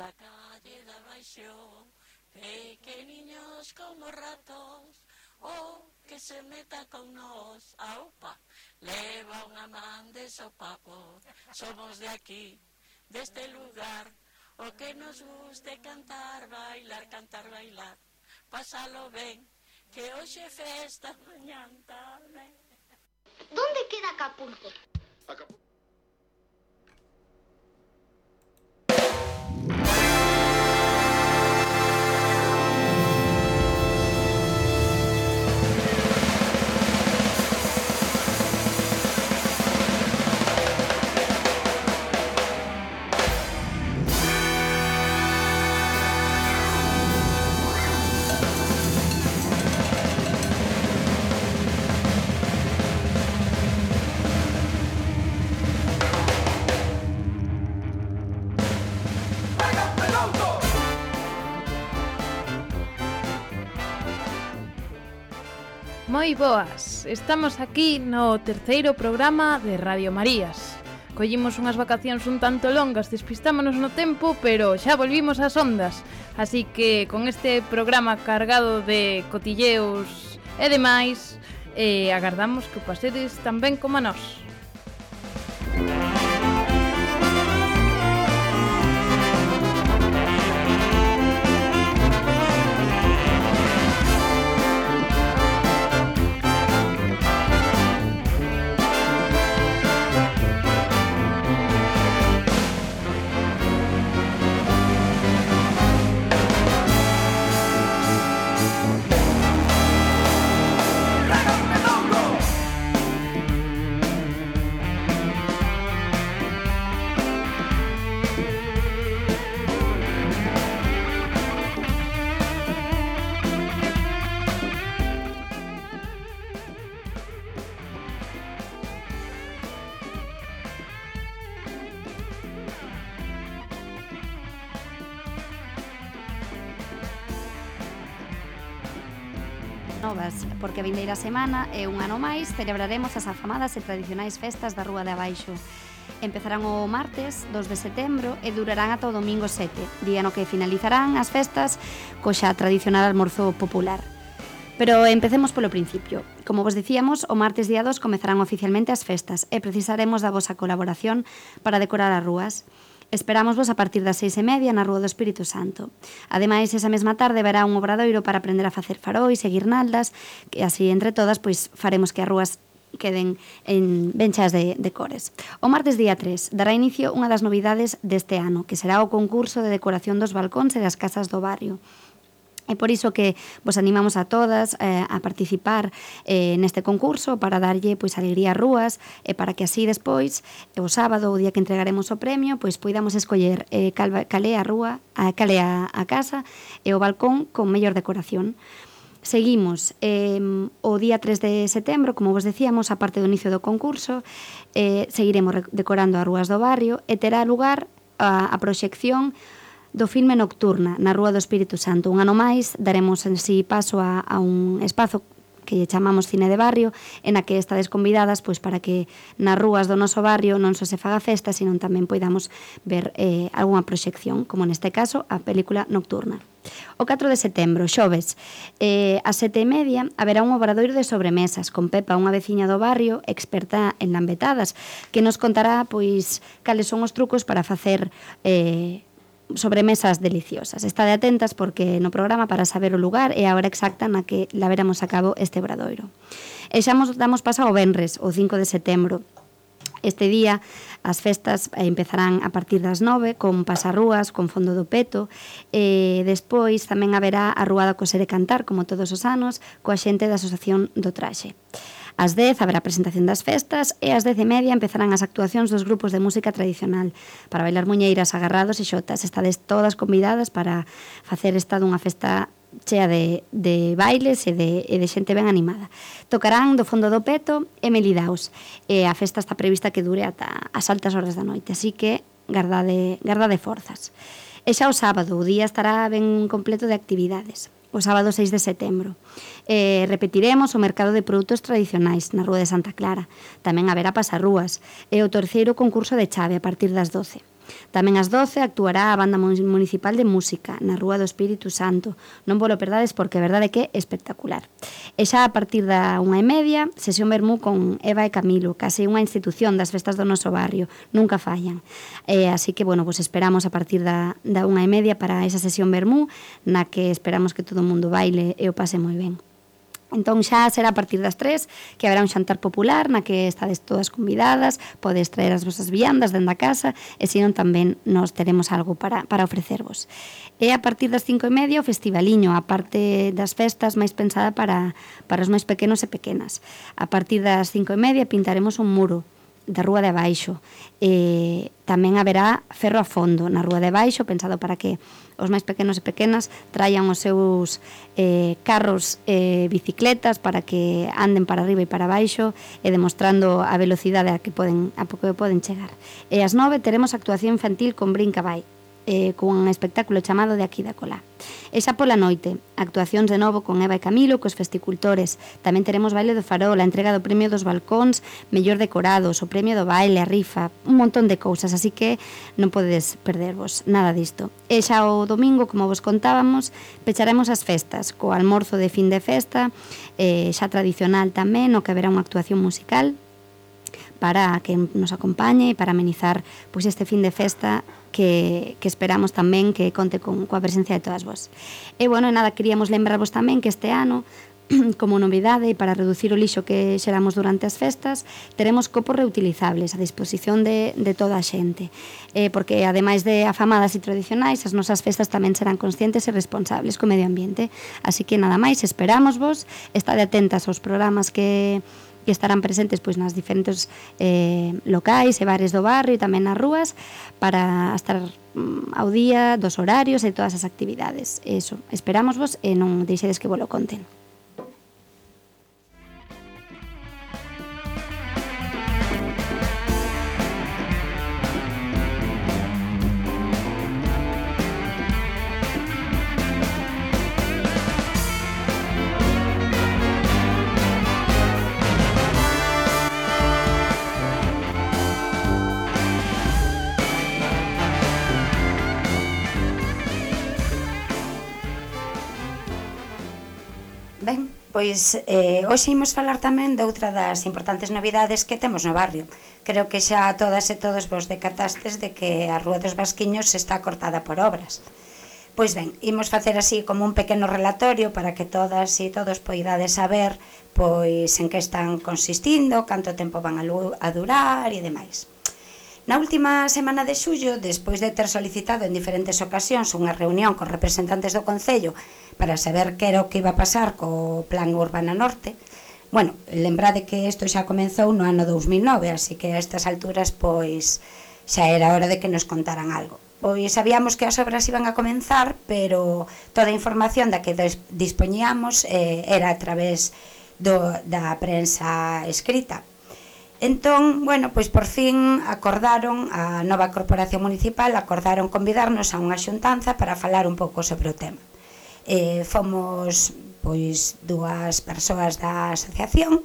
da calle de abaixo, pequeniños como ratos, que se meta con nós, aupa, leva unha man de sopapo, somos de aquí, deste lugar, o que nos guste cantar, bailar, pásalo ben, que hoxe festa, mañán tamén. ¿Dónde queda Acapulco? Acapulco. Moi boas, estamos aquí no terceiro programa de Radio Marías. Collimos unhas vacacións un tanto longas, despistámonos no tempo, pero xa volvimos ás ondas. Así que con este programa cargado de cotilleos e demais, agardamos que o pasedes tan ben como a nós. Novas, porque a vindeira semana e un ano máis celebraremos as afamadas e tradicionais festas da Rúa de Abaixo. Empezarán o martes 2 de setembro e durarán ata o domingo 7, día no que finalizarán as festas co xa tradicional almorzo popular. Pero empecemos polo principio. Como vos dicíamos, o martes día 2 comezarán oficialmente as festas e precisaremos da vosa colaboración para decorar as rúas. Esperámosvos a partir das 6:30 na Rúa do Espírito Santo. Ademais, esa mesma tarde verá un obradoiro para aprender a facer faróis e guirnaldas, que así entre todas pois faremos que as rúas queden ben cheas de cores. O martes día 3 dará inicio unha das novidades deste ano, que será o concurso de decoración dos balcóns e das casas do barrio. É por iso que vos animamos a todas a participar neste concurso para darlle pois alegría ás rúas e para que así despois, o sábado, o día que entregaremos o premio, pois poidamos escoller cal é a rúa, cal é a casa e o balcón con mellor decoración. Seguimos o día 3 de setembro, como vos decíamos, a parte do inicio do concurso, seguiremos decorando as rúas do barrio e terá lugar a proxección do filme Nocturna na Rúa do Espírito Santo. Un ano máis daremos en si paso a un espazo que chamamos Cine de Barrio, en a que estades convidadas pois para que nas rúas do noso barrio non só se faga festa, sino tamén poidamos ver algunha proxección, como neste caso a película Nocturna. O 4 de setembro, xoves, ás 7:30 haberá un obradoiro de sobremesas con Pepa, unha veciña do barrio experta en lambetadas, que nos contará pois cales son os trucos para facer sobremesas deliciosas. Estade atentas porque no programa para saber o lugar e a hora exacta na que laveremos a cabo este obradoiro. E xa damos paso ao venres, o 5 de setembro. Este día as festas empezarán a partir das 9 con pasarrúas, con fondo do peto e despois tamén haberá a Rúa da Coser e Cantar, como todos os anos, coa xente da Asociación do Traxe. Ás 10 haberá a presentación das festas e ás 10:30 empezarán as actuacións dos grupos de música tradicional para bailar muñeiras, agarrados e xotas. Estades todas convidadas para facer esta dunha festa chea de bailes e de xente ben animada. Tocarán do fondo do peto e Melidaos e a festa está prevista que dure ata as altas horas da noite, así que gardade forzas. E xa o sábado o día estará ben completo de actividades. O sábado 6 de setembro. Repetiremos o mercado de produtos tradicionais na Rúa de Santa Clara. Tamén haberá pasarrúas e o terceiro concurso de chave a partir das 12. Tamén ás 12 actuará a Banda Municipal de Música na Rúa do Espírito Santo. Non vos lo perdades porque a verdade é que é espectacular. E xa a partir da 1:30, sesión vermú con Eva e Camilo, case unha institución das festas do noso barrio, nunca fallan. Así que, bueno, pues esperamos a partir da 1:30 para esa sesión vermú, na que esperamos que todo o mundo baile e o pase moi ben. Entón xa será a partir das 3 que haberá un xantar popular na que estades todas convidadas, podes traer as vosas viandas dentro da casa e senón tamén nos teremos algo para ofrecervos. E a partir das 5:30 o festivaliño, a parte das festas máis pensada para os máis pequenos e pequenas. A partir das 5:30 pintaremos un muro da Rúa de Abaixo. Tamén haberá ferro a fondo na Rúa de Abaixo, pensado para que os máis pequenos e pequenas traian os seus carros e bicicletas para que anden para arriba e para abaixo e demostrando a velocidade a que poden chegar. E ás 9 teremos actuación infantil con Brinca Vai, cun espectáculo chamado De aquí da colá. E xa pola noite, actuacións de novo con Eva e Camilo, cos festicultores. Tamén teremos baile do farol, a entrega do premio dos balcóns mellor decorados, o premio do baile, a rifa, un montón de cousas, así que non podedes perdervos nada disto. E xa o domingo, como vos contábamos, pecharemos as festas, co almorzo de fin de festa, xa tradicional tamén, no que haberá unha actuación musical para que nos acompañe e para amenizar pois este fin de festa que esperamos tamén que conte coa presencia de todas vos. E, bueno, nada, queríamos lembrarvos tamén que este ano, como novidade, para reducir o lixo que xeramos durante as festas, teremos copos reutilizables a disposición de toda a xente. Porque, ademais de afamadas e tradicionais, as nosas festas tamén serán conscientes e responsables co medio ambiente. Así que, nada máis, esperamos vos, estade atentas aos programas que estarán presentes pois nas diferentes locais e bares do barrio e tamén nas rúas para estar ao día dos horarios e todas as actividades. Eso, esperamos vos e non deixedes que vos lo conten. Ben, pois hoxe imos falar tamén de outra das importantes novidades que temos no barrio. Creo que xa todas e todos vos decatastes de que a Rúa dos Vasquiños está cortada por obras. Pois ben, imos facer así como un pequeno relatorio para que todas e todos poidades saber pois en que están consistindo, canto tempo van a durar e demais. Na última semana de xullo, despois de ter solicitado en diferentes ocasións unha reunión con representantes do Concello para saber que era o que iba a pasar co Plan Urbana Norte, bueno, lembrade que isto xa comenzou no ano 2009, así que a estas alturas pois xa era hora de que nos contaran algo. Pois sabíamos que as obras iban a comenzar, pero toda a información da que dispoñíamos era a través da prensa escrita. Entón, bueno, pois por fin acordaron, a nova corporación municipal acordaron convidarnos a unha xuntanza para falar un pouco sobre o tema. Fomos pois dúas persoas da asociación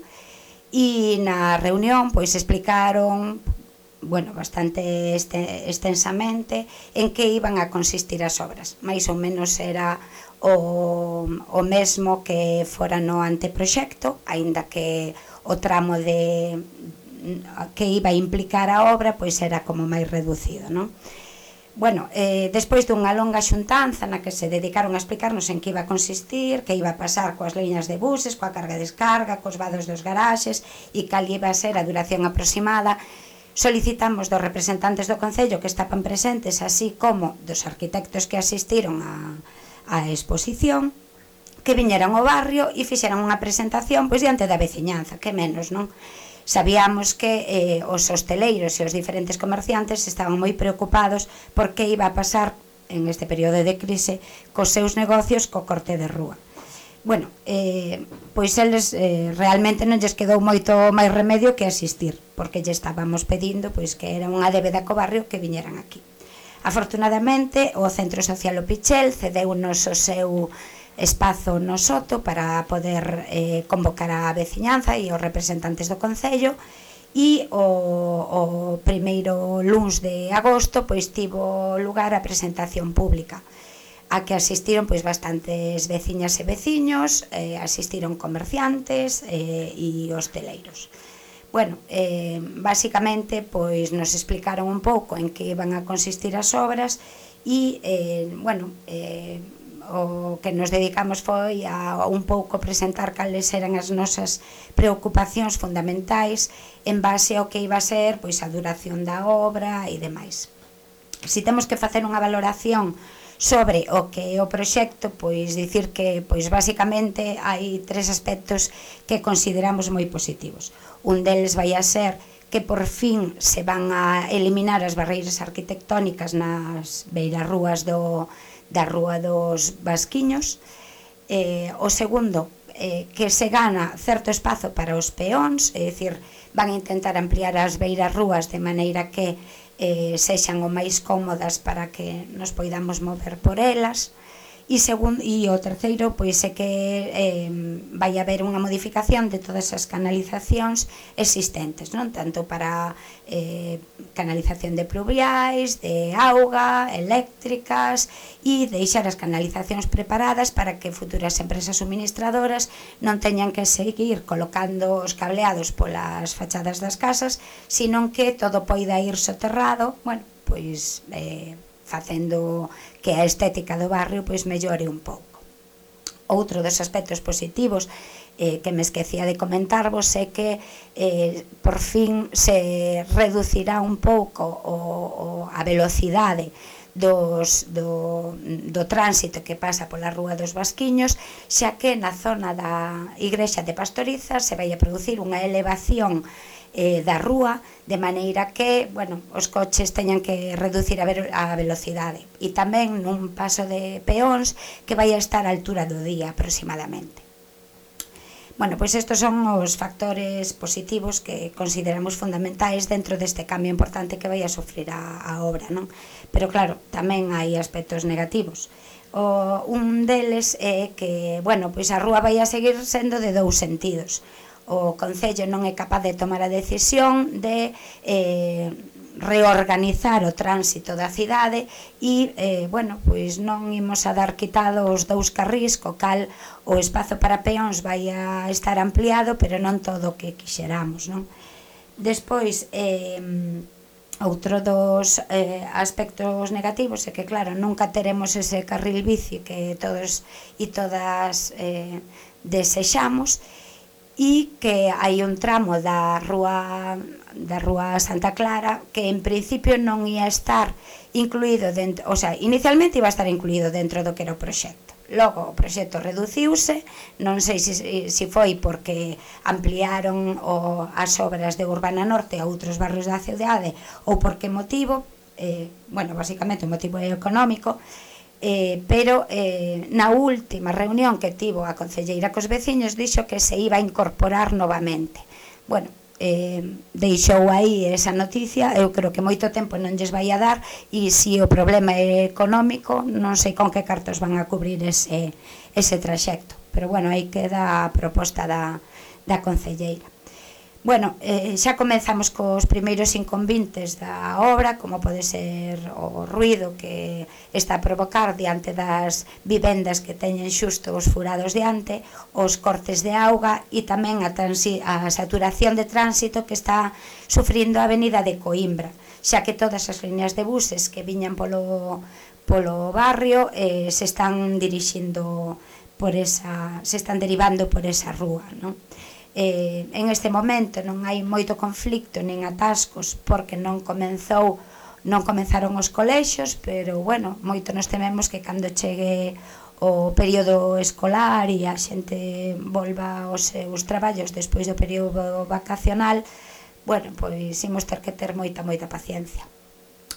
e na reunión pois explicaron, bueno, bastante extensamente en que iban a consistir as obras. Mais ou menos era o mesmo que fora no anteproxecto, aínda que o tramo que iba a implicar a obra pois era como máis reducido, non? Bueno, despois dunha longa xuntanza na que se dedicaron a explicarnos en que iba a consistir, que iba a pasar coas liñas de buses, coa carga e descarga, cos vados dos garaxes e cal iba a ser a duración aproximada, solicitamos dos representantes do Concello que estaban presentes, así como dos arquitectos que asistiron á exposición, que viñeran ao barrio e fixeran unha presentación pois diante da veciñanza, que menos, non? Sabíamos que os hosteleiros e os diferentes comerciantes estaban moi preocupados por que iba a pasar en este período de crise cos seus negocios co corte de rúa. Bueno, pois eles realmente non lles quedou moito máis remedio que asistir, porque lle estábamos pedindo pois que era unha débeda co barrio que viñeran aquí. Afortunadamente, o Centro Social O Pichel cedeunos o seu espazo no Soto para poder convocar a veciñanza e os representantes do Concello e o primeiro luns de agosto pois tivo lugar a presentación pública a que asistiron pois bastantes veciñas e veciños, asistiron comerciantes e hosteleiros. Bueno, basicamente pois nos explicaron un pouco en que iban a consistir as obras e, bueno, o que nos dedicamos foi a un pouco presentar cales eran as nosas preocupacións fundamentais en base ao que iba a ser pois a duración da obra e demais. Si temos que facer unha valoración sobre o que é o proxecto, pois dicir que pois basicamente hai tres aspectos que consideramos moi positivos. Un deles vai a ser que por fin se van a eliminar as barreiras arquitectónicas nas beirarrúas da Rúa dos Vasquiños. O segundo, que se gana certo espazo para os peóns, é dicir, van a intentar ampliar as beirarrúas de maneira que sexan o máis cómodas para que nos poidamos mover por elas. E o terceiro pois é que vai haber unha modificación de todas as canalizacións existentes, non? Tanto para canalización de pluviais, de auga, eléctricas, e deixar as canalizacións preparadas para que futuras empresas suministradoras non teñan que seguir colocando os cableados polas fachadas das casas, sino que todo poida ir soterrado, bueno, pois facendo que a estética do barrio pois mellore un pouco. Outro dos aspectos positivos que me esquecía de comentarvos é que por fin se reducirá un pouco a velocidade do tránsito que pasa pola Rúa dos Vasquiños, xa que na zona da Igrexa de Pastoriza se vai a producir unha elevación da rúa, de maneira que, bueno, os coches teñan que reducir a velocidade, e tamén nun paso de peóns que vai a estar a altura do día aproximadamente. Bueno, pois estes son os factores positivos que consideramos fundamentais dentro deste cambio importante que vai a sofrer a obra, non? Pero claro, tamén hai aspectos negativos. Un deles é que, bueno, pois a rúa vai a seguir sendo de dous sentidos. O Concello non é capaz de tomar a decisión de reorganizar o tránsito da cidade e, bueno, pois non imos a dar quitado os dous carrís, co cal o espazo para peóns vai a estar ampliado, pero non todo o que quixeramos, non? Despois, outro dos aspectos negativos é que, claro, nunca teremos ese carril bici que todos e todas desexamos, e que hai un tramo da rúa Santa Clara que en principio non ia estar incluído dentro, o sea, inicialmente iba a estar incluído dentro do que era o proxecto. Logo o proxecto reduciuse, non sei se foi porque ampliaron as obras de Urbana Norte a outros barrios da cidade ou por que motivo, bueno, basicamente o motivo é económico, pero na última reunión que tivo a concelleira cos veciños dixo que se iba a incorporar novamente. Bueno, deixou aí esa noticia, eu creo que moito tempo non lles vai a dar, e se o problema é económico non sei con que cartos van a cubrir ese traxecto, pero bueno, aí queda a proposta da concelleira. Bueno, xa comenzamos cos primeiros inconvenientes da obra, como pode ser o ruido que está a provocar diante das vivendas que teñen xusto os furados diante, os cortes de auga e tamén a saturación de tránsito que está sufrindo a avenida de Coimbra, xa que todas as líneas de buses que viñan polo barrio se están derivando por esa rúa, non? En este momento non hai moito conflicto nin atascos porque non comenzaron os colexios, pero bueno, moito nos tememos que cando chegue o período escolar e a xente volva aos seus traballos despois do período vacacional, bueno, pois imos ter que ter moita paciencia.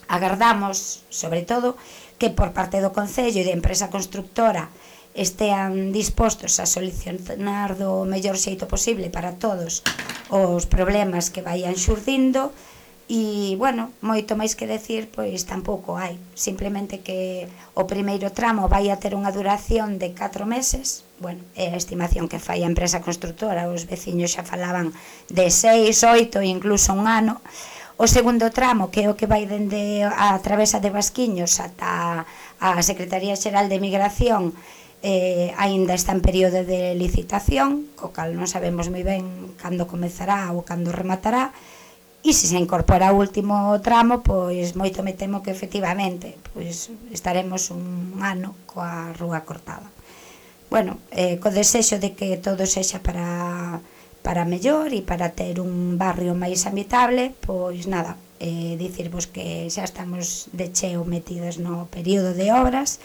Agardamos, sobre todo, que por parte do Concello e da empresa constructora estean dispostos a solucionar do mellor xeito posible para todos os problemas que vayan xurdindo, E, bueno, moito máis que decir, pois tampouco hai. Simplemente que o primeiro tramo vai a ter unha duración de 4 meses. Bueno, é a estimación que fai a empresa constructora. Os veciños xa falaban de 6, 8, incluso un ano. O segundo tramo, que é o que vai dende a travesa de Vasquiños ata a Secretaría Xeral de Migración, aínda está en período de licitación, co cal non sabemos moi ben cando comezará ou cando rematará. E se se incorpora o último tramo, pois moito me temo que efectivamente pois estaremos un ano coa rúa cortada. Bueno, co desexo de que todo sexa para mellor e para ter un barrio máis habitable, pois nada, dicirvos que xa estamos de cheo metidos no período de obras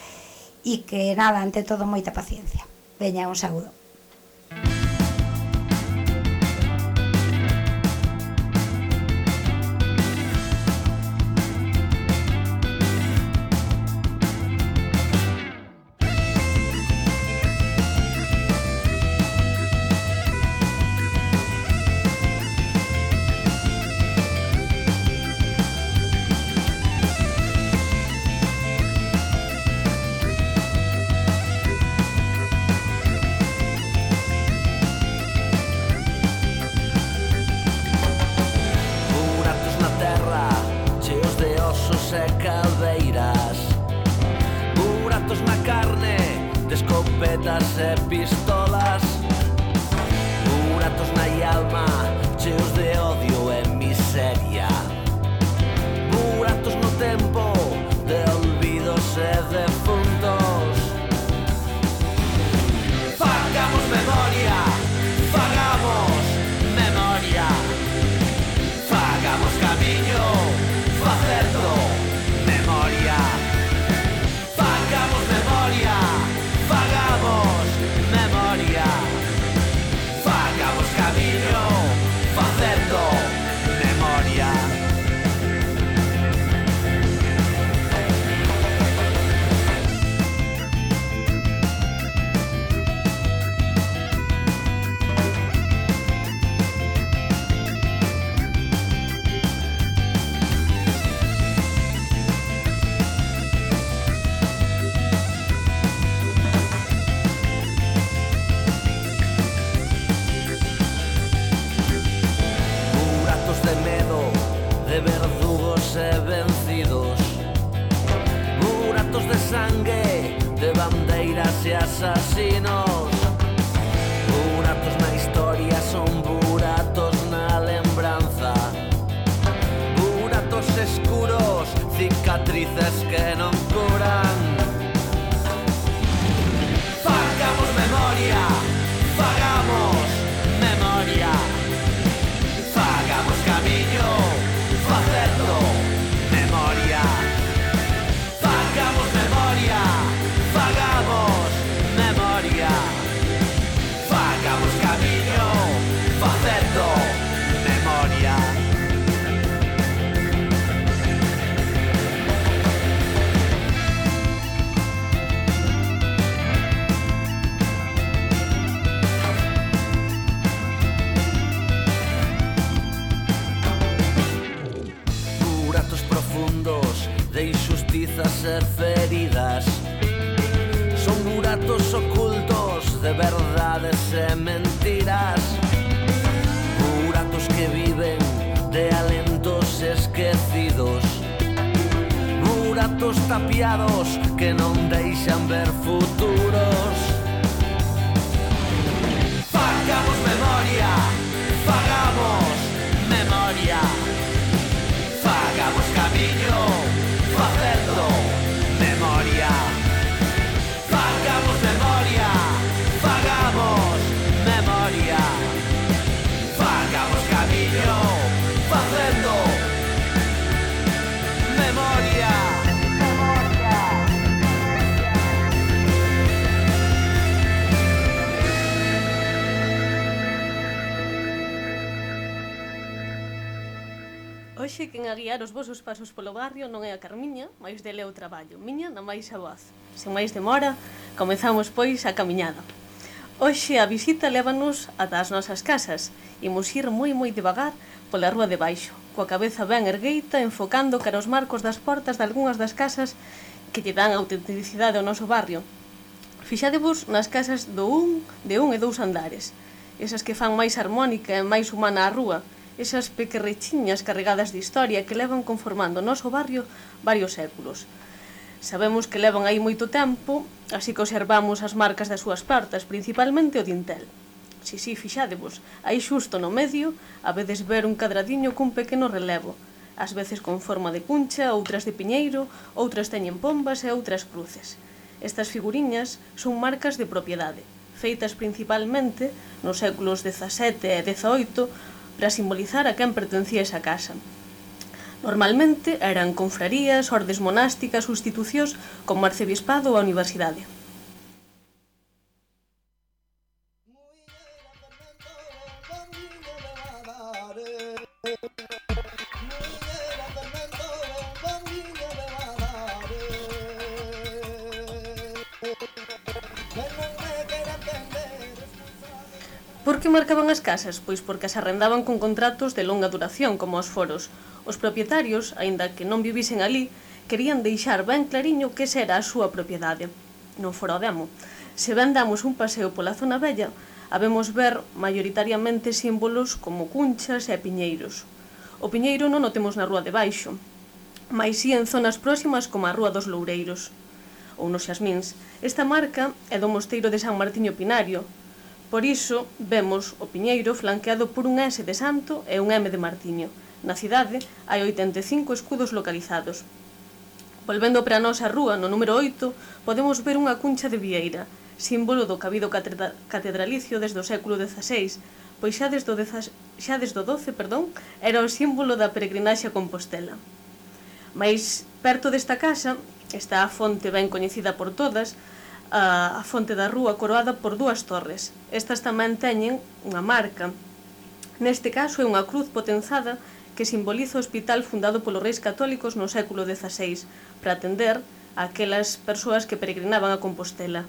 e que nada, ante todo, moita paciencia. Veña, un saúdo. E pistolas, buratos na alma, cheos de odio e miseria, buratos no tempo de olvidos e defuntos. Fagamos memoria, fagamos memoria, fagamos camiño, facendo memoria, fagamos memoria, fagamos memoria, fagamos camiño, facendo memoria. De verdugos e vencidos, buratos de sangue, de bandeiras e asasinos, buratos na historia son buratos na lembranza, buratos escuros, cicatrices que non curan. Fagamos memoria, fagamos memoria, fagamos camiño, facendo memoria, fagamos memoria, fagamos memoria, fagamos camiño, facendo memoria. De injustizas e feridas, son buratos ocultos de verdades e mentiras, buratos que viven de alentos esquecidos, buratos tapiados que non deixan ver futuros. Fagamos memoria, fagamos memoria, fagamos camiño, facendo memoria, fagamos memoria, fagamos memoria, fagamos camiño, facendo memoria. Hoxe quen a guiar os vosos pasos polo barrio non é a Carmiña, mais dele é o traballo, miña na máis a voz. Sen máis demora, comezamos pois a camiñada. Hoxe a visita lévanos ata as nosas casas, imos ir moi devagar pola rúa de baixo, coa cabeza ben ergueita, enfocando cara aos marcos das portas de algunhas das casas que lle dan autenticidade ao noso barrio. Fixadevos nas casas de un e 2 andares, esas que fan máis harmónica e máis humana a rúa, esas pequerrechiñas carregadas de historia que levan conformando o noso barrio varios séculos. Sabemos que levan aí moito tempo, así que observamos as marcas das súas portas, principalmente o dintel. Si, fixadevos, aí xusto no medio habedes ver un cadradiño cun pequeno relevo, ás veces con forma de cuncha, outras de piñeiro, outras teñen pombas e outras cruces. Estas figuriñas son marcas de propiedade, feitas principalmente nos séculos XVII e XVIII para simbolizar a quen pertencía esa casa. Normalmente eran confrarías, ordes monásticas ou institucións como o arcebispado ou a universidade. Por que marcaban as casas? Pois porque as arrendaban con contratos de longa duración, como os foros. Os propietarios, aínda que non vivisen ali, querían deixar ben clariño que esa era a súa propiedade. Non fora o demo. Se ben damos un paseo pola zona vella, habemos ver maioritariamente símbolos como cunchas e piñeiros. O piñeiro non o temos na rúa de baixo, mais si en zonas próximas como a Rúa dos Loureiros ou nos Xasmíns. Esta marca é do mosteiro de San Martiño Pinario. Por iso, vemos o piñeiro flanqueado por un S de Santo e un M de Martiño. Na cidade hai 85 escudos localizados. Volvendo para a nosa rúa, no número 8, podemos ver unha cuncha de vieira, símbolo do cabido catedralicio desde o século XVI, pois xa desde o XII, era o símbolo da peregrinaxe a Compostela. Mais perto desta casa está a fonte ben coñecida por todas, a fonte da rúa coroada por 2 torres. Estas tamén teñen unha marca. Neste caso é unha cruz potenzada que simboliza o hospital fundado polos reis católicos no século XVI para atender a aquelas persoas que peregrinaban a Compostela.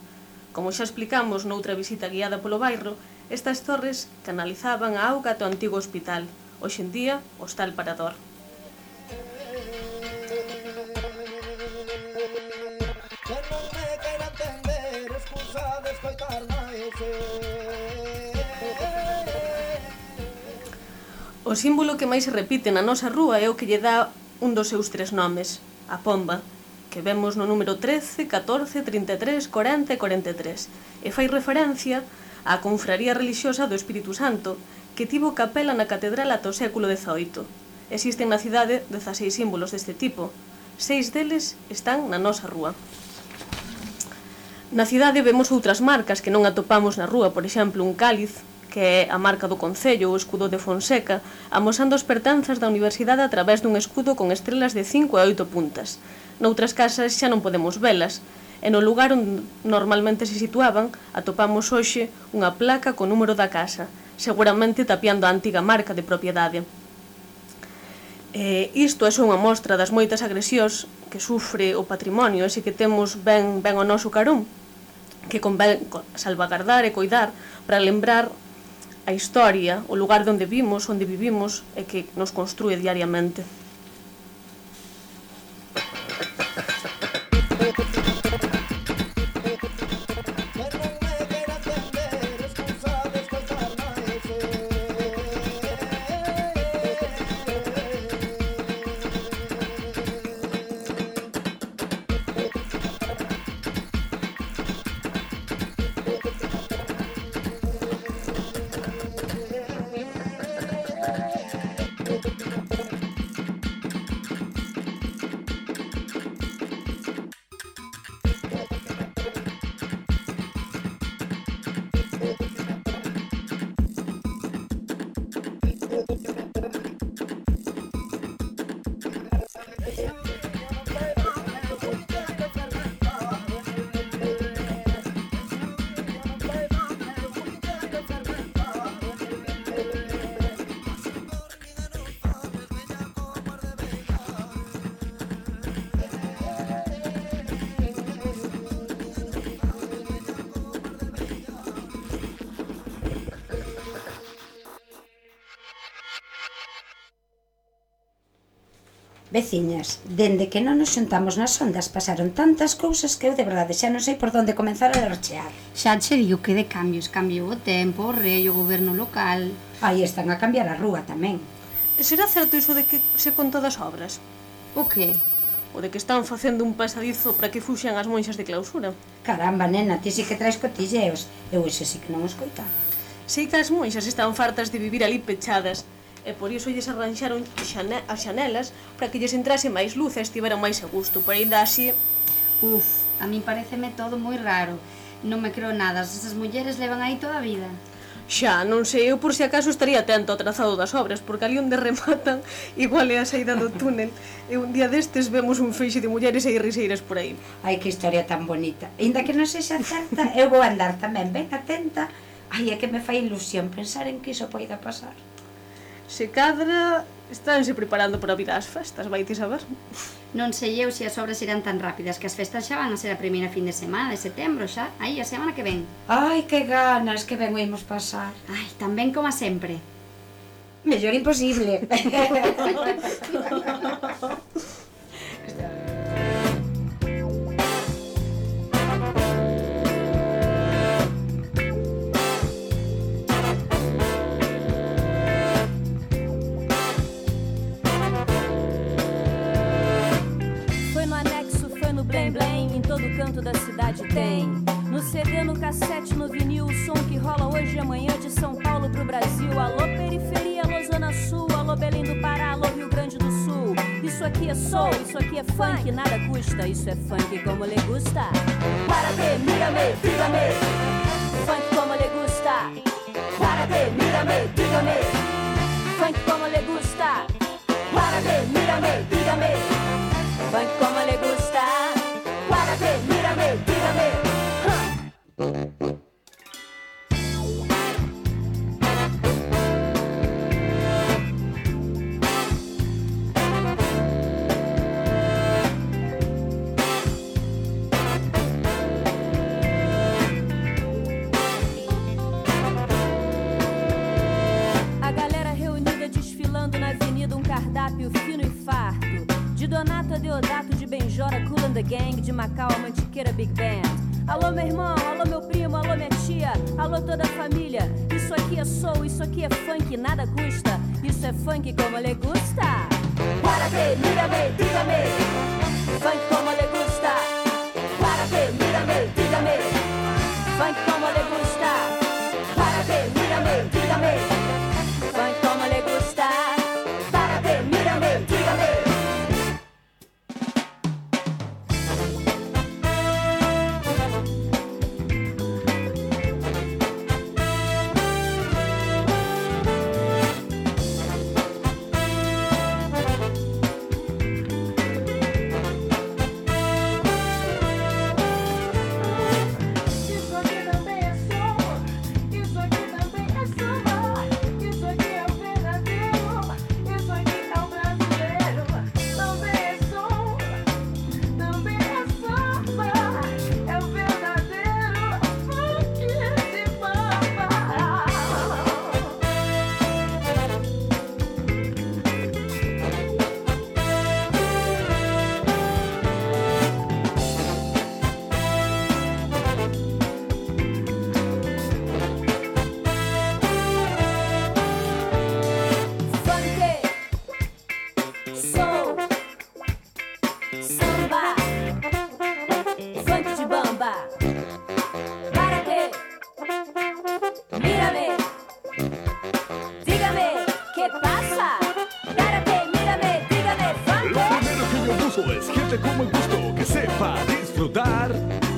Como xa explicamos noutra visita guiada polo bairro, estas torres canalizaban a auga ata o antigo hospital, hoxe en día Hostal Parador. O símbolo que máis se repite na nosa rúa é o que lle dá un dos seus 3 nomes, a pomba, que vemos no número 13, 14, 33, 40 e 43, e fai referencia á confraría relixiosa do Espírito Santo, que tivo capela na catedral ata o século XVIII. Existen na cidade 16 símbolos deste tipo, 6 deles están na nosa rúa. Na cidade vemos outras marcas que non atopamos na rúa, por exemplo, un cáliz, que é a marca do Concello, o escudo de Fonseca, amosando as pertenzas da universidade a través dun escudo con estrelas de 5 e 8 puntas. Noutras casas xa non podemos velas, e no lugar onde normalmente se situaban atopamos hoxe unha placa co número da casa, seguramente tapiando a antiga marca de propiedade. Isto é só unha mostra das moitas agresións que sufre o patrimonio, ese que temos ben ao noso carón, que convén salvagardar e coidar para lembrar a historia, o lugar onde vivimos e que nos construe diariamente. Veciñas, dende que non nos xuntamos nas ondas pasaron tantas cousas que eu de verdade xa non sei por onde comenzar a lerchear. Xa che digo que de cambios, cambiou o tempo, o rei, o goberno local. Aí están a cambiar a rúa tamén. Será certo iso de que se conta das obras? O que? O de que están facendo un pasadizo para que fuxan as monxas de clausura? Caramba, nena, ti si que traes cotilleos. Eu iso si que non o escoitaba. Sei que as monxas están fartas de vivir ali pechadas, e por iso lles arranxaron as xanelas para que lles entrase máis luz e estiveran máis a gusto, pero ainda así... A mí pareceme todo moi raro. Non me creo nada, esas mulleres levan aí toda a vida. Xa, non sei, eu por si acaso estaría atento ao trazado das obras, porque ali onde rematan igual é a saída do túnel, e un día destes vemos un feixe de mulleres e riseiras por aí. Ai, que historia tan bonita. Ainda que non sexa certa, eu vou andar tamén ben atenta. Ai, é que me fai ilusión pensar en que iso poida pasar. Se cadra, estánse preparando para vir ás festas, vai ti saber. Non sei eu se as obras irán tan rápidas, que as festas xa van a ser a primeira fin de semana de setembro xa, aí a semana que ven. Ai, que ganas, que ben o imos pasar. Ai, tan ben como sempre. Mellor imposible. Canto da cidade tem. No CD, no cassete, no vinil, o som que rola hoje e amanhã de São Paulo pro Brasil. Alô periferia, alô Zona Sul, alô Belém do Pará, alô Rio Grande do Sul. Isso aqui é soul, isso aqui é funk, nada custa. Isso é funk como le gusta. Párate, mírame, dígame. Funk como le gusta. Párate, mírame, dígame. Funk como le gusta. Párate, mírame, dígame. Funk como le gusta. Párate, mírame, dígame. A galera reunida desfilando na avenida, um cardápio fino e farto. De Donato a Deodato, de Benjora, Cool and the Gang, de Macau a Mantiqueira Big Band. Alô meu irmão, alô meu primo, alô minha tia, alô toda a família. Isso aqui é soul, isso aqui é funk, nada custa. Isso é funk como le gusta. Párate, mírame, dígame. Funk como le gusta. Párate, mírame, dígame. Funk como le gusta. Párate, mírame, dígame. Funk como le gusta. Párate, mírame, dígame.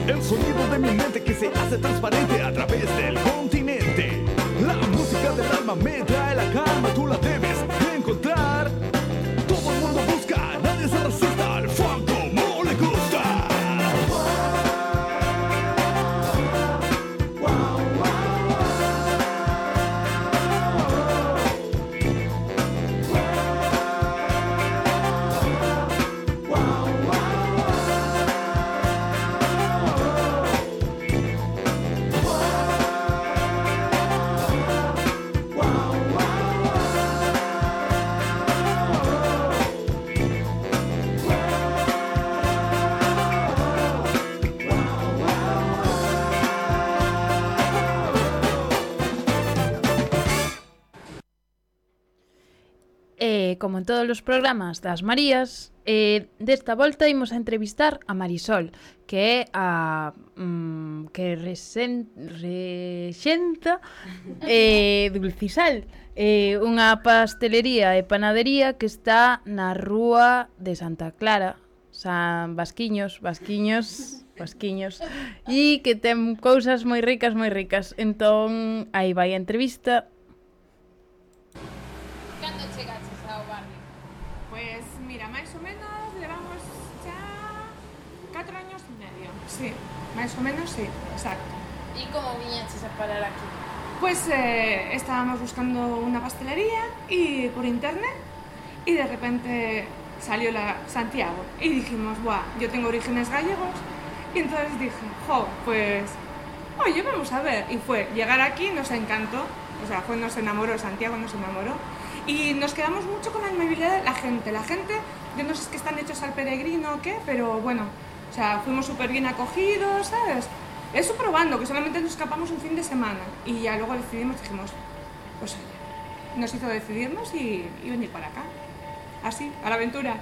El sonido de mi mente que se hace transparente a través del continente. La música del alma me trae la calma, tú la debes encontrar. Todo el mundo busca, nadie se resista al funk como le gusta. como en todos os programas das Marías, desta volta imos a entrevistar a Marisol, que é a que rexenta Dulcisal, unha pastelería e panadería que está na rúa de Santa Clara, San Vasquiños, e que ten cousas moi ricas, moi ricas. Entón, aí vai a entrevista. Cando chegaches ao barrio? Pues mira, máis ou menos levamos xa 4 años e medio. Sí, máis ou menos sí, exacto. E como viñaches a parar aquí? Pues estábamos buscando una pastelería y por internet y de repente salió la Santiago y dijimos, buah, yo tengo orígenes gallegos y entonces dije, pues, oye, vamos a ver. Y fue llegar aquí, nos encantó, o sea, nos enamoró, Santiago nos enamoró y nos quedamos mucho con la amabilidad de la gente, yo no sé si es que están hechos al peregrino o qué, pero bueno, o sea, fuimos súper bien acogidos, ¿sabes? Eso probando, que solamente nos escapamos un fin de semana y ya luego dijimos, pues oye, nos hizo decidirnos y venir para acá. Así, a la aventura.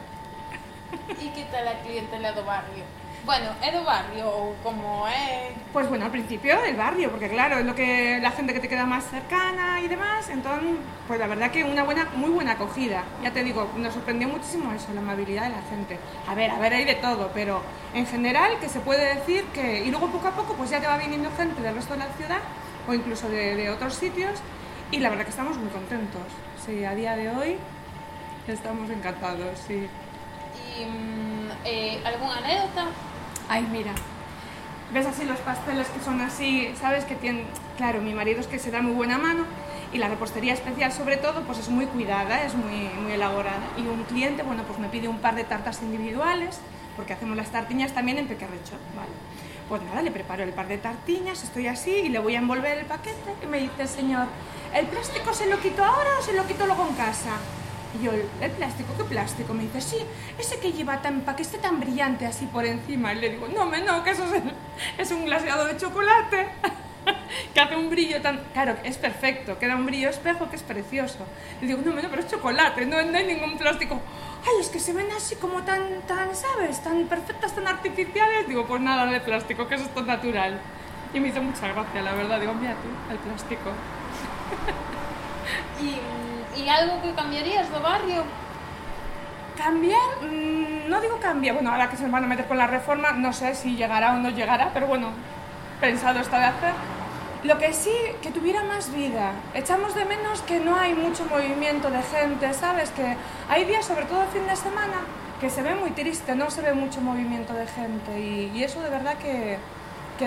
E que tal a clientela do barrio? Bueno, é do barrio ou como é? Pues bueno, al principio del barrio, porque claro, es lo que la gente que te queda más cercana y demás, entonces, pues la verdad que muy buena acogida. Ya te digo, nos sorprendió muchísimo eso, la amabilidad de la gente. A ver, hay de todo, pero en general que se puede decir que, y luego poco a poco pues ya te va viniendo gente del resto de la ciudad o incluso de otros sitios y la verdad que estamos muy contentos. Sí, a día de hoy estamos encantados, sí. ¿Y alguna anécdota? Ay, mira, ves así los pasteles que son así, sabes que tienen, claro, mi marido es que se da muy buena mano y la repostería especial sobre todo pues es muy cuidada, es muy elaborada y un cliente, bueno, pues me pide un par de tartas individuales porque hacemos las tartiñas también en pequerrecho, ¿vale? Pues nada, le preparo el par de tartiñas, estoy así y le voy a envolver el paquete y me dice el señor, ¿el plástico se lo quito ahora o se lo quito luego en casa? Y yo, ¿el plástico? ¿Qué plástico? Me dice, sí, ese que lleva para que esté tan brillante así por encima. Y le digo, no, que eso es un glaseado de chocolate que hace un brillo tan... Claro, es perfecto, queda un brillo espejo que es precioso. Le digo, no, pero es chocolate, no hay ningún plástico. Ay, es que se ven así como tan, ¿sabes? Tan perfectas, tan artificiales. Digo, pues nada de plástico, que eso es todo natural. Y me hizo mucha gracia, la verdad. Digo, mira tú, el plástico. ¿Y algo que cambiarías do barrio? ¿Cambiar? No digo cambiar. Bueno, ahora que se van a meter con la reforma, no sé si llegará o no llegará, pero bueno, pensado está de hacer. Lo que sí, que tuviera más vida. Echamos de menos que no hay mucho movimiento de gente, ¿sabes? Que hay días, sobre todo fin de semana, que se ve muy triste, no se ve mucho movimiento de gente y eso de verdad que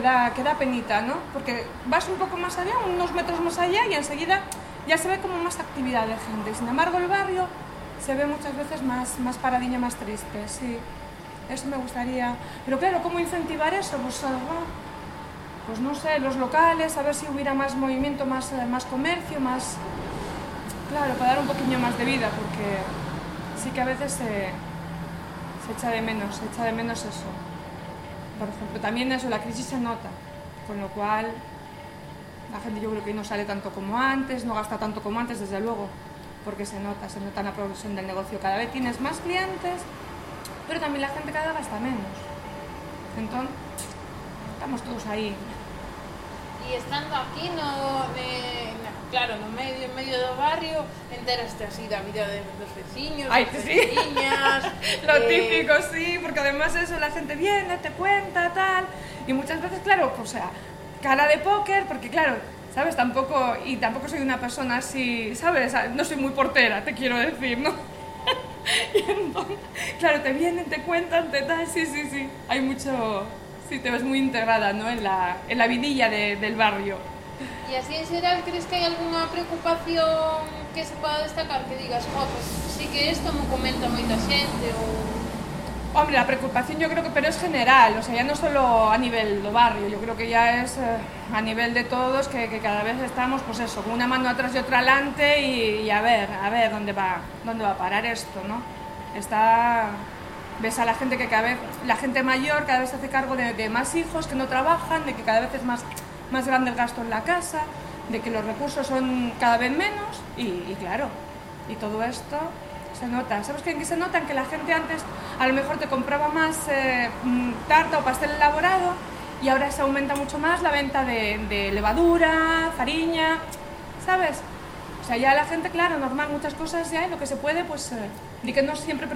da penita, ¿no? Porque vas un poco más allá, unos metros más allá y enseguida ya se ve como más actividad de gente. Sin embargo, el barrio se ve muchas veces más paradiña, más triste, sí. Eso me gustaría. Pero claro, ¿cómo incentivar eso? Pues no sé, los locales, a ver si hubiera más movimiento, más comercio, más... Claro, para dar un poquillo más de vida, porque sí que a veces se echa de menos eso. Por ejemplo, también eso, la crisis se nota, con lo cual... La gente yo creo que no sale tanto como antes, no gasta tanto como antes, desde luego, porque se nota en la progresión del negocio. Cada vez tienes más clientes, pero también la gente cada vez gasta menos. Entonces, estamos todos aí. E estando aquí claro, no medio do barrio, enteraste así da vida dos veciños, das veciñas... Lo típico, sí, porque además eso, la gente viene, te cuenta, tal, y muchas veces, claro, o sea, cara de póker, porque claro, ¿sabes? Tampoco soy una persona así, ¿sabes? No soy muy portera, te quiero decir, ¿no? Y entonces, claro, te vienen, te cuentan, te tal, sí, hay mucho... Sí, te ves muy integrada, ¿no? En la vidilla del barrio. Y así en general, ¿crees que hay alguna preocupación que se pueda destacar? Que digas, pues sí que esto me comenta moita xente o... Hombre, la preocupación yo creo que, pero es general, o sea, ya no solo a nivel do barrio, yo creo que ya es a nivel de todos, que cada vez estamos, pues eso, con una mano atrás y otra adelante y a ver dónde va a parar esto, ¿no? Ves a la gente que cada vez, la gente mayor cada vez se hace cargo de más hijos que no trabajan, de que cada vez es más grande el gasto en la casa, de que los recursos son cada vez menos y claro, y todo esto Se nota. ¿Sabes qué? En que se nota? En que la gente antes a lo mejor te compraba más tarta o pastel elaborado y ahora se aumenta mucho más la venta de levadura, fariña, ¿sabes? O sea, ya la gente, claro, normal, muchas cosas ya, lo que se puede, pues, y que nos siempre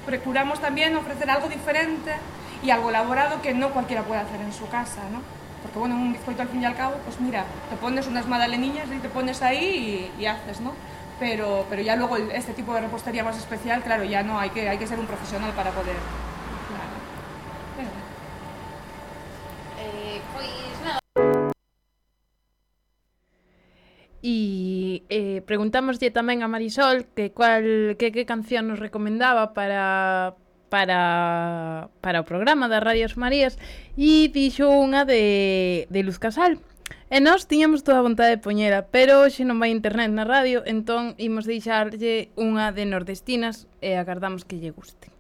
procuramos también ofrecer algo diferente y algo elaborado que no cualquiera puede hacer en su casa, ¿no? Porque, bueno, un bizcoito al fin y al cabo, pues mira, te pones unas magdalenillas y te pones ahí y haces, ¿no? Pero ya luego este tipo de repostería más especial, claro, ya no, hay que ser un profesional para poder. Claro. Pois nada. E preguntámoslle tamén a Marisol que canción nos recomendaba para o programa das Radios Marías e dixo unha de Luz Casal. E nós tiñamos toda a vontade de poñela, pero hoxe non vai internet na radio, entón imos deixarlle unha de Nordestinas e agardamos que lle guste.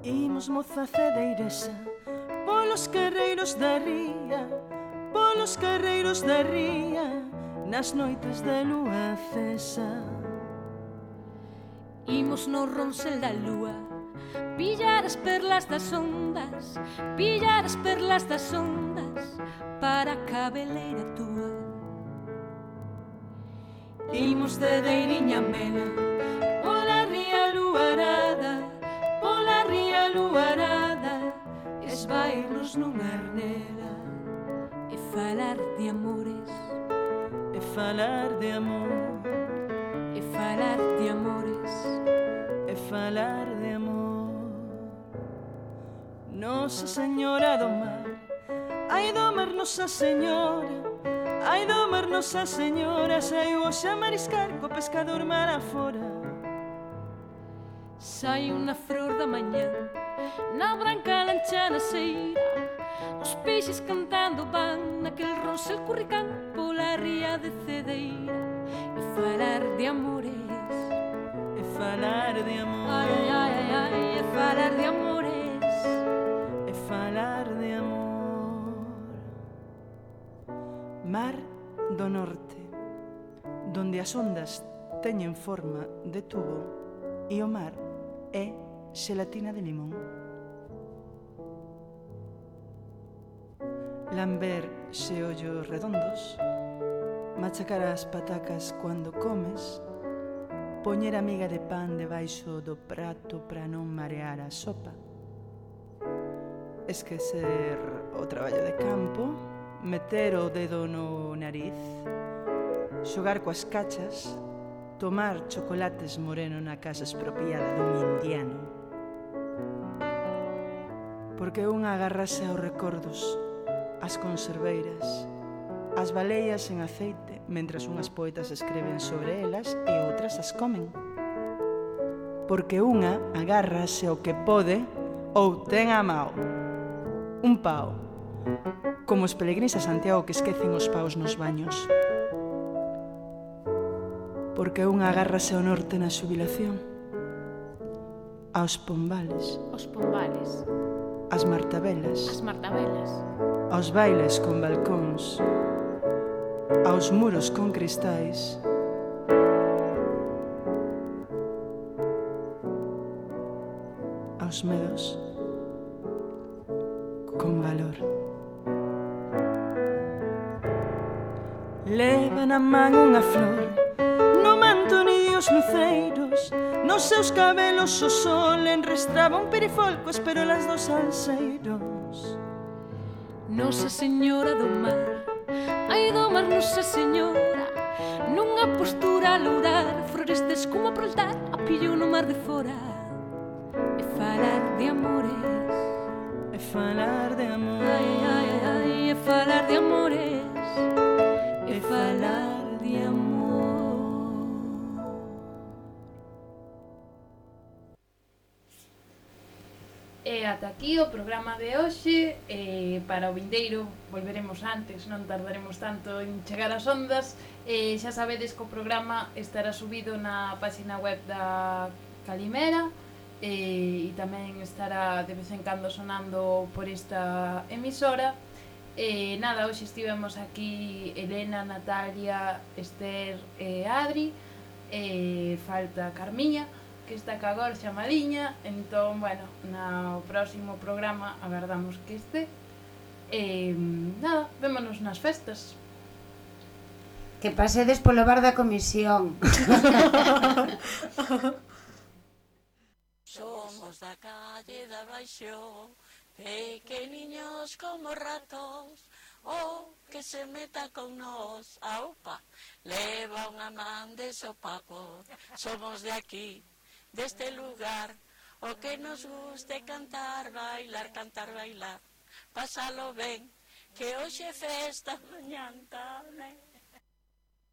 Imos moza cedeiresa polos carreiros da ría, polos carreiros da ría, nas noites de lúa cesa. Imos no ronsel da lúa, pillar as perlas das ondas, pillar as perlas das ondas, para a cabeleira túa. Imos de deiriña mena, pola ría luarada, pola ría luarada, esvairnos nunha arnela e falar de amores, e falar de amor, e falar de amores, e falar de amor. Nosa Señora do Mar, ai do mar Nosa Señora, ai do mar Nosa Señora, saiu hoxe a mariscar co pescador mar afora. Sai unha flor da mañá, na branca lancha na seira, os peixes cantando van naquel ronsel curricán pola ría de Cedeira. E falar de amores, e falar de amor, ai, ai, ai, ai, e falar de amores, e falar de amor. Mar do Norte, donde as ondas teñen forma de tubo e o mar é xelatina de limón. Lamber xeollos redondos, machacar as patacas cando comes, poñer a miga de pan debaixo do prato para non marear a sopa, esquecer o traballo de campo, meter o dedo no nariz, xogar coas cachas, tomar chocolates moreno na casa expropiada dun indiano. Porque unha agarrase aos recordos, as conserveiras, as baleias en aceite, mentras unhas poetas escreven sobre elas e outras as comen. Porque unha agárrase ao que pode ou ten a mao. Un pao, como os peregrinos a Santiago que esquecen os paus nos baños. Porque unha agárrase ao norte na xubilación, aos pombales, as martabelas, aos bailes con balcóns, aos muros con cristais, aos medos con valor. Leva na man unha flor, no manto ni os luceiros, nos seus cabelos o sol enrestraba un perifolco as perolas dos salseiros. Nosa Señora do Mar, ai do mar Nosa Señora, nunha postura a lourar, flores de escuma pro altar, a pillo no mar de fora. E falar de amores, e falar de amor, ai, ai, ai, e falar de amores, e falar de amor. E ata aquí o programa de hoxe. Para o vindeiro volveremos antes, non tardaremos tanto en chegar ás ondas. Xa sabedes que o programa estará subido na página web da Calimera e tamén estará de vez en cando sonando por esta emisora. Nada, hoxe estivemos aquí Elena, Natalia, Esther e Adri, falta Carmiña, que está ca agora chamadiña, entón, bueno, no próximo programa agardamos que este. Nada, vémonos nas festas. Que pasedes polo bar da comisión. Somos da calle da Baixo, pequeniños como ratos, o que se meta con nós, aupa, leva unha man de sopapo. Somos de aquí, deste lugar, o que nos guste cantar, bailar, pásalo ben, que hoxe festa mañanta.